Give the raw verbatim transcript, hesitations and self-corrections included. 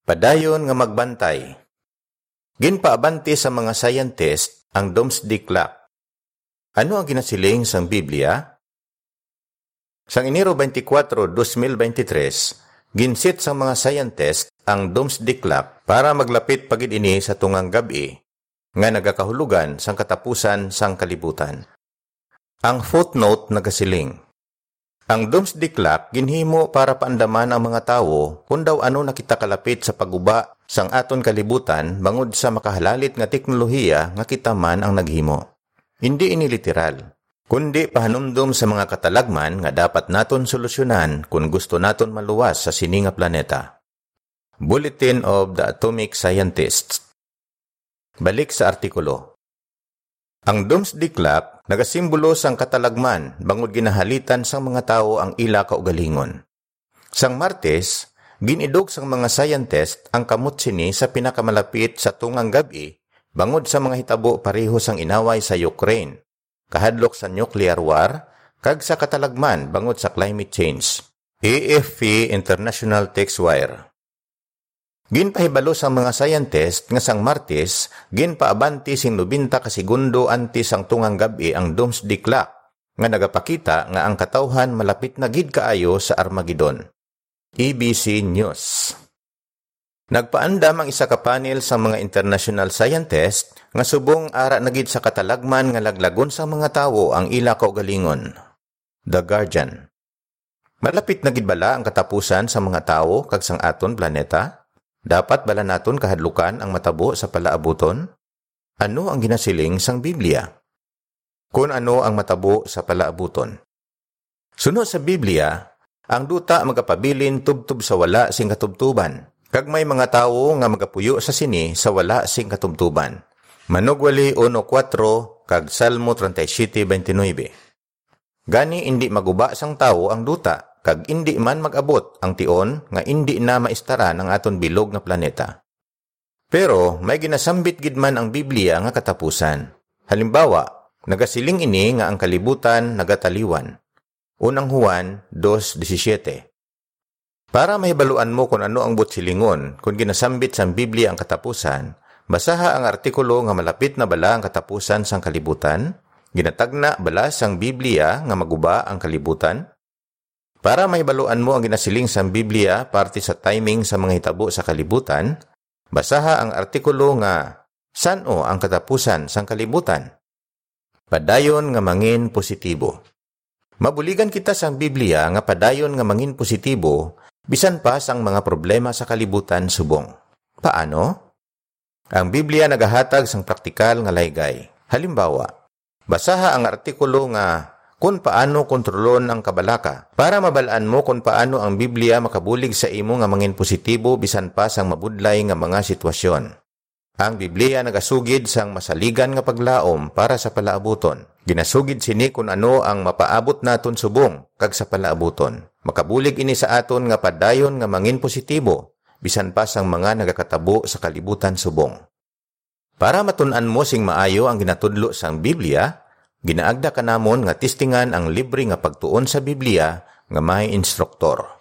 Padayon nga magbantay. Ginpaabanti sa mga scientist ang doomsday clock. Ano ang ginasiling sang Biblia? Sang Enero twenty-four, twenty twenty-three, ginsit sang mga scientist ang doomsday clock para maglapit pa gid ini sa tungang gab-i nga nagakahulugan sang katapusan sang kalibutan. Ang footnote nagasiling, ang doomsday clock ginhimo para paandaman ang mga tawo kon daw ano na kita kalapit sa pagguba sang aton kalibutan bangod sa makahalalit nga teknolohiya nga kita man ang naghimo. Hindi ini literal, kundi pahanumdom sa mga katalagman nga dapat naton solusyonan kon gusto naton maluwas sa sini nga planeta. Bulletin of the Atomic Scientists. Balik sa artikulo. Ang doomsday clock nagasimbolo sang katalagman bangod ginahalitan sang mga tawo ang ila kaugalingon. Sang Martes, gin-idog sang mga scientist ang kamot sini sa pinakamalapit sa tungang gab-i bangod sa mga hitabo pareho sang inaway sa Ukraine, kahadlok sa nuclear war, kag sa katalagman bangod sa climate change. A F P International Text Wire. Ginpahibalo sang mga scientist nga sang Martes, ginpaabanti sing nobenta ka segundo antes sang tungang gab-i ang doomsday clock, nga nagapakita nga ang katawhan malapit na gid kaayo sa Armageddon. A B C News. Nagpaandam ang isa ka panel sang mga international scientist nga subong ara na gid sa katalagman nga laglagon sang mga tawo ang ila kaugalingon. The Guardian. Malapit na gid bala ang katapusan sa mga tawo kag sang aton planeta? Dapat bala naton kahadlukan ang matabo sa palaabuton? Ano ang ginasiling sang Biblia? Kun ano ang matabo sa palaabuton. Suno sa Biblia, ang duta magapabilin tubtob sa wala sing katubtoban, kag may mga tawo nga magapuyo sa sini sa wala sing katubtoban. Manugwali uno kuwatro kag Salmo treinta y siete veintinueve. Gani indi maguba sang tawo ang duta, kag indi man mag-abot ang tion nga indi na maistaran ang aton bilog nga planeta. Pero may ginasambit gid man ang Biblia nga katapusan. Halimbawa, nagasiling ini nga ang kalibutan nagataliwan. Unang Juan dos disisiete. Para mahibaluan mo kon ano ang buot silingon kon ginasambit sang Biblia ang katapusan, basaha ang artikulo nga Malapit na Bala ang Katapusan sang Kalibutan? Ginatagna bala sang Biblia nga maguba ang kalibutan? Para mahibaluan mo ang ginasiling sang Biblia parte sa timing sa mga hitabo sa kalibutan, basaha ang artikulo nga San-o ang Katapusan sang Kalibutan? Padayon nga mangin positibo. Mabuligan kita sang Biblia nga padayon nga mangin positibo bisan pa sang mga problema sa kalibutan subong. Paano? Ang Biblia nagahatag sang praktikal nga laygay. Halimbawa, basaha ang artikulo nga Kon Paano Kontrolon ang Kabalaka para mabal-an mo kon paano ang Biblia makabulig sa imo nga mangin positibo bisan pa sang mabudlay nga mga sitwasyon. Ang Biblia nagasugid sang masaligan nga paglaom para sa palaabuton. Ginasugid sini kon ano ang mapaabot naton subong kag sa palaabuton. Makabulig ini sa aton nga padayon nga mangin positibo, bisan pa sang mga nagakatabo sa kalibutan subong. Para matun-an mo sing maayo ang ginatudlo sang Biblia, ginaagda ka namon nga testingan ang libre nga pagtuon sa Biblia nga may instruktor.